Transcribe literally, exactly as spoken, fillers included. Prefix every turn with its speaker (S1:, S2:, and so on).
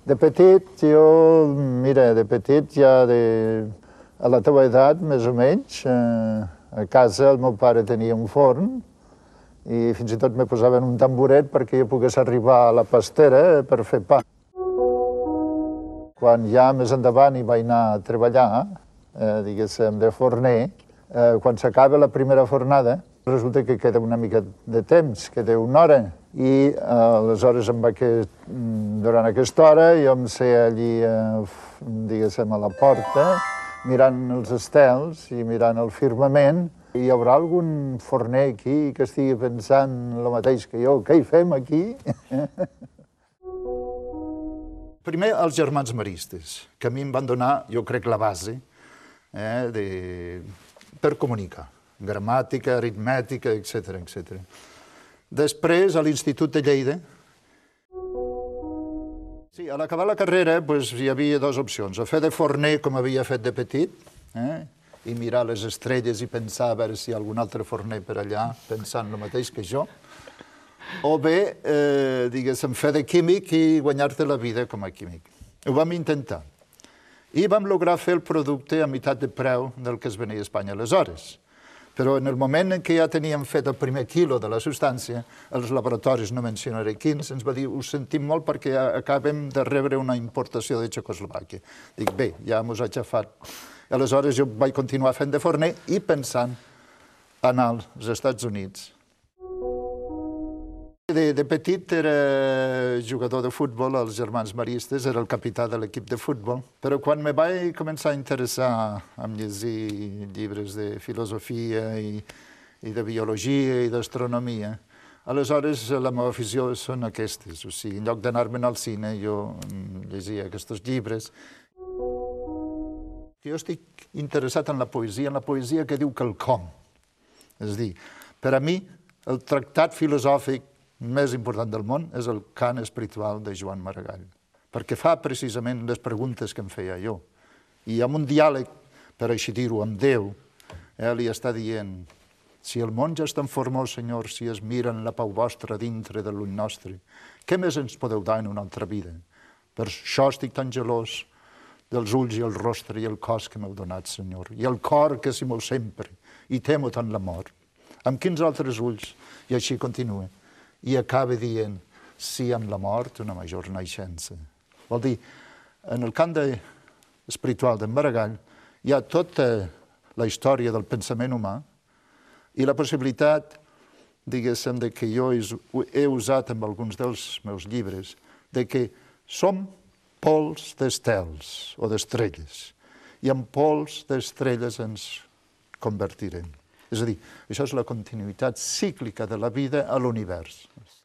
S1: De petit, jo, mira, de petit ja de, a la teva edat, més o menys, eh, a casa el meu pare tenia un forn i fins i tot me posaven un tamboret perquè jo pogués arribar a la pastera per fer pa. Quan ja més endavant hi vaig anar a treballar, eh, diguéssim, de forner, eh, quan s'acaba la primera fornada, resulta que queda una mica de temps, queda una hora, i eh, aleshores em va que durant aquesta hora jo em sé allí, eh, diguéssim, a la porta, mirant els estels i mirant el firmament. Hi haurà algun forner aquí que estigui pensant el mateix que jo? Què hi fem aquí? Primer, els germans maristes, que a mi em van donar, jo crec, la base eh, de... per comunicar. Gramàtica, aritmètica, etcètera, etcètera. Després, a l'Institut de Lleida, sí, a l'acabar la carrera doncs, hi havia dues opcions. O fer de forner, com havia fet de petit, eh, i mirar les estrelles i pensar a veure si hi ha algun altre forner per allà pensant el mateix que jo, o bé, eh, diguéssim, fer de químic i guanyar-te la vida com a químic. Ho vam intentar. I vam lograr fer el producte a meitat de preu del que es venia a Espanya aleshores. Però en el moment en què ja teníem fet el primer quilo de la substància, els laboratoris, no mencionaré quins, ens va dir, ho sentim molt perquè acabem de rebre una importació de Txecoslovàquia. Dic, bé, ja mos ha xafat. Aleshores jo vaig continuar fent de forner i pensant anar als Estats Units. De, de petit era jugador de futbol als Germans Maristes, era el capità de l'equip de futbol, però quan me vaig començar a interessar en llegir llibres de filosofia i, i de biologia i d'astronomia, aleshores la meva afició són aquestes, o sigui, en lloc d'anar-me'n al cine jo llegia aquests llibres. Jo estic interessat en la poesia, en la poesia que diu quelcom. És a dir, per a mi el tractat filosòfic més important del món és el cant espiritual de Joan Maragall, perquè fa precisament les preguntes que em feia jo. I amb un diàleg, per així dir-ho, amb Déu, eh, li està dient, si el món ja és tan formós, Senyor, si es miren la pau vostra dintre de l'ull nostre, què més ens podeu dar en una altra vida? Per això estic tan gelós dels ulls i el rostre i el cos que m'heu donat, Senyor, i el cor que s'hi mou sempre, i temo tant la mort. Amb quins altres ulls? I així continua. I acaba dient, sí, amb la mort, una major naixença. Vol dir, en el camp espiritual d'en Maragall hi ha tota la història del pensament humà i la possibilitat, diguéssim, de que jo he usat en alguns dels meus llibres, de que som pols d'estels o d'estrelles i en pols d'estrelles ens convertirem. És a dir, això és la continuïtat cíclica de la vida a l'univers.